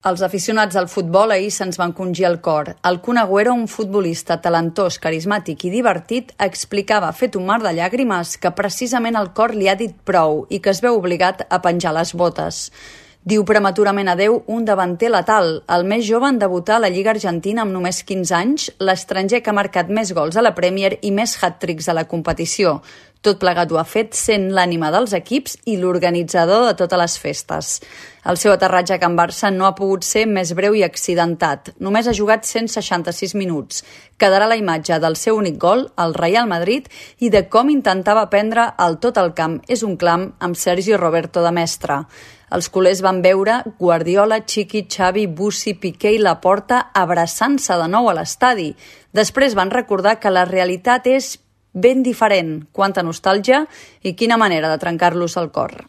Els aficionats al futbol ahir se'ns van congir el cor. El Kun Agüero, un futbolista talentós, carismàtic i divertit, explicava fet un mar de llàgrimes que precisament el cor li ha dit prou i que es veu obligat a penjar les botes. Diu prematurament adeu un davanter letal, el més jove en debutar a la Lliga Argentina amb només 15 anys, l'estranger que ha marcat més gols a la Premier i més hat-tricks a la competició. Tot plegat ho ha fet sent l'ànima dels equips i l'organitzador de totes les festes. El seu aterratge a Can Barça no ha pogut ser més breu i accidentat. Només ha jugat 166 minuts. Quedarà la imatge del seu únic gol, al Real Madrid, i de com intentava prendre el tot al camp. És un clam amb Sergi Roberto de mestre. Els culers van veure Guardiola, Chiqui, Xavi, Bussi, Piqué i Laporta abraçant-se de nou a l'estadi. Després van recordar que la realitat és ben diferent. Quanta nostàlgia i quina manera de trencar-los el cor.